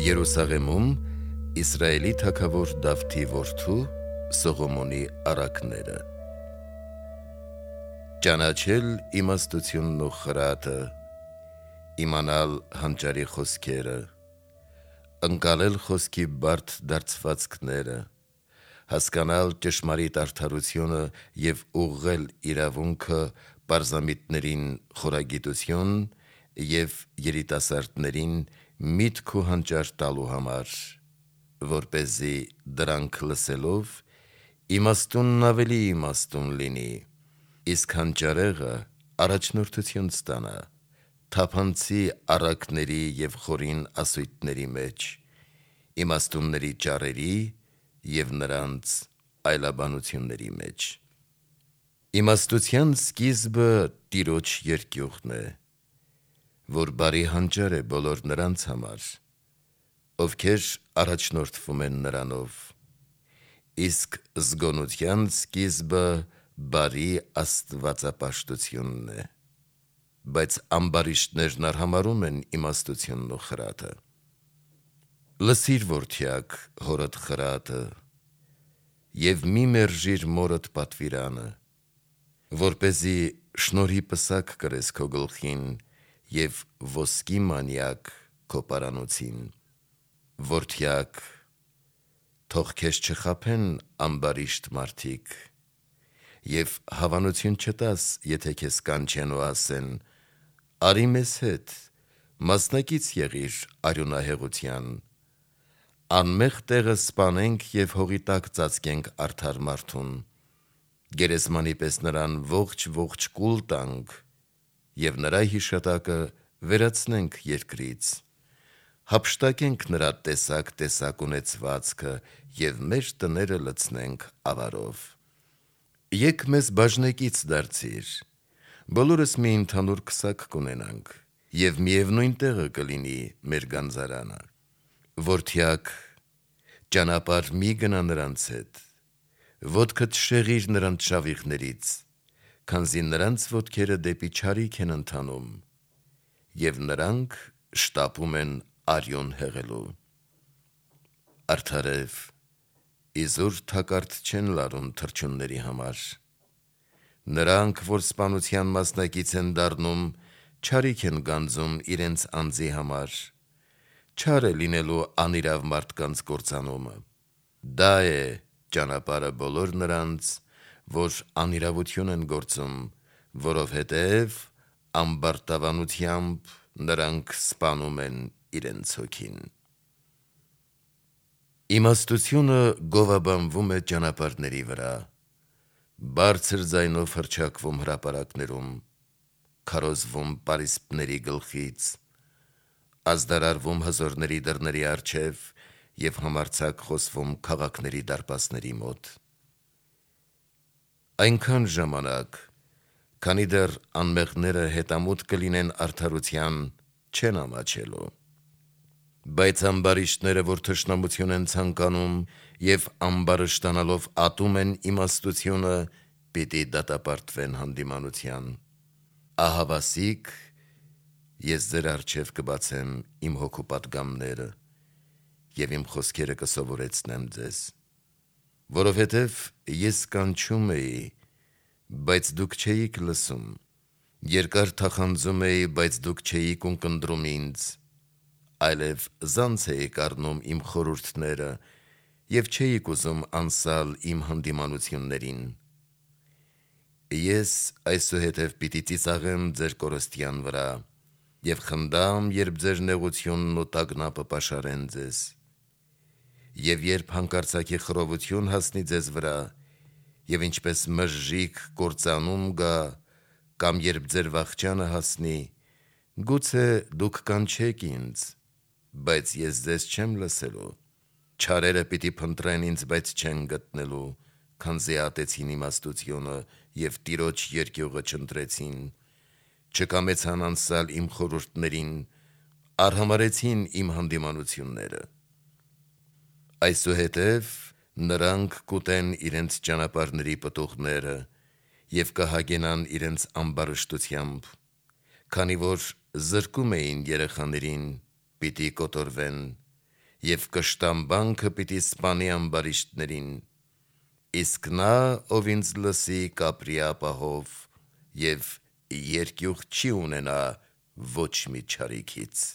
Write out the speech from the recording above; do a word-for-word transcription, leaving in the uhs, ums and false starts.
Երուսաղեմում Իսրայելի թագավոր Դավթի որդու Սողոմոնի առակները։ Ճանաչել իմաստությունն ու խրատը, իմանալ հանճարի խոսքերը, ընկալել խոսքի բարդ դարձվածքները, հասկանալ ճշմարիտ արդարությունը և ուղղել իրավունքը պարզամիտներին խորագիտություն և երիտասարդներին միտք ու հանճար տալու համար, որպեսզի դրանք լսելով իմաստունն ավելի իմաստուն լինի, իսկ հանճարեղը առաջնորդություն ստանա թափանցի առակների և խորին ասույթների մեջ, իմաստունների ճառերի և նրանց այլաբանությունների մեջ։ Իմաստության սկիզբը Տիրոջ երկյուղն է, որ բարի հանճար է բոլոր նրանց համար, ովքեր առաջնորդվում են նրանով, իսկ զգոնության սկիզբը բարի աստվածապաշտությունն է, բայց ամբարիշտներն արհամարհում են իմաստությունն ու խրատը։ Լսիր, որդյակ, հորդ խրատը և մի մերժիր մորդ պատվիրանը, որպեսզի շնորհի պսակ կրես քո գլխին և ոսկի մանյակ քո պարանոցին։ Որդյակ, թող քեզ չխաբեն ամբարիշտ մարդիկ և հավանություն չտաս, եթե քեզ կանչեն ու ասեն. արի մեզ հետ, մասնակից եղիր արյունահեղության, անմեղ տեղը սպանենք և հողի տակ ծածկենք արդար մարդուն, գերեզմանի պես նրան ողջ-ողջ կուլ տանք և նրա հիշատակը վերացնենք երկրից, հափշտակենք նրա տեսակ-տեսակ ունեցվածքը և մեր տները լցնենք ավարով։ Եկ մեզ բաժնեկից դարձիր, բոլորս մի ընդհանուր քսակ կունենանք և միևնույն տեղը կլինի մեր գանձարանը։ Որդյակ, ճանապարհ մի գնա նրանց հետ, ոտքդ շեղիր նրանց շավիղներից, քանզի նրանց ոտքերը դեպի չարիք են ընթանում, և նրանք շտապում են արյուն հեղելու։ Արդարև, իզուր թակարդ չեն լարում թռչունների համար, նրանք, որ սպանության մասնակից են դառնում, չարիք են գանձում իրենց անձի համար, չար է լինելու անիրավ մարդկանց կործանումը։ Դա է ճանապարհը բոլոր նրանց, որ անիրավություն են գործում, որովհետև ամբարտավանությամբ նրանք սպանում են իրենց հոգին։ Իմաստությունը գովաբանվում է ճանապարհների վրա, բարձր ձայնով հռչակվում հրապարակներում, քարոզվում պարիսպների գլխից, ազդարարվում հզորների դռների առջև և համարձակ խոսվում քաղաքների դարպասների մոտ։ Այնքան ժամանակ, քանի դեռ անմեղները հետամուտ կլինեն արդարության, չեն ամաչելու, բայց ամբարիշտները, որ թշնամություն են ցանկանում և ամբարշտանալով ատում են իմաստությունը, պիտի դատապարտվեն հանդիմանության։ Ահավասիկ, ես ձեր առջև կբացեմ իմ հոգու պատգամները և իմ խոսքերը կսովորեցնեմ ձեզ, որովհետև ես կանչում էի, բայց դուք չէիք լսում, երկար թախանձում էի, բայց դուք չէիք ունկնդրում ինձ, այլև զանց էիք առնում իմ խորհուրդները և չէիք ուզում անսալ իմ հանդիմանություններին։ Ես այսուհետև պիտի ծիծաղեմ ձեր կորստյան վրա և խնդամ, երբ ձեր նեղությունն ու տագնապը պաշարեն ձեզ, և երբ հանկարծակի խռովություն հասնի ձեզ վրա, և ինչպես մժժիկ կործանում գա, կամ երբ ձեր վախճանը հասնի, գուցե դուք կանչեք ինձ, բայց ես ձեզ չեմ լսելու, չարերը պիտի փնտրեն ինձ, բայց չեն գտնելու, քանզի ատեցին իմաստությունը և Տիրոջ երկյուղը չընտրեցին, չկամեցան անսալ իմ խորհուրդներին, արհամարհեցին իմ հանդիմանությունները։ Այսուհետև նրանք կուտեն իրենց ճանապարհների պտուղները և կհագենան իրենց ամբարշտությամբ, քանի որ զրկում էին երեխաներին, պիտի կոտորվեն, եւ կշտամբանքը պիտի սպանի ամբարիշտներին, իսկ նա, ով ինձ լսի, կապրի ապահով եւ երկյուղ չի ունենա ոչ մի չարիքից»։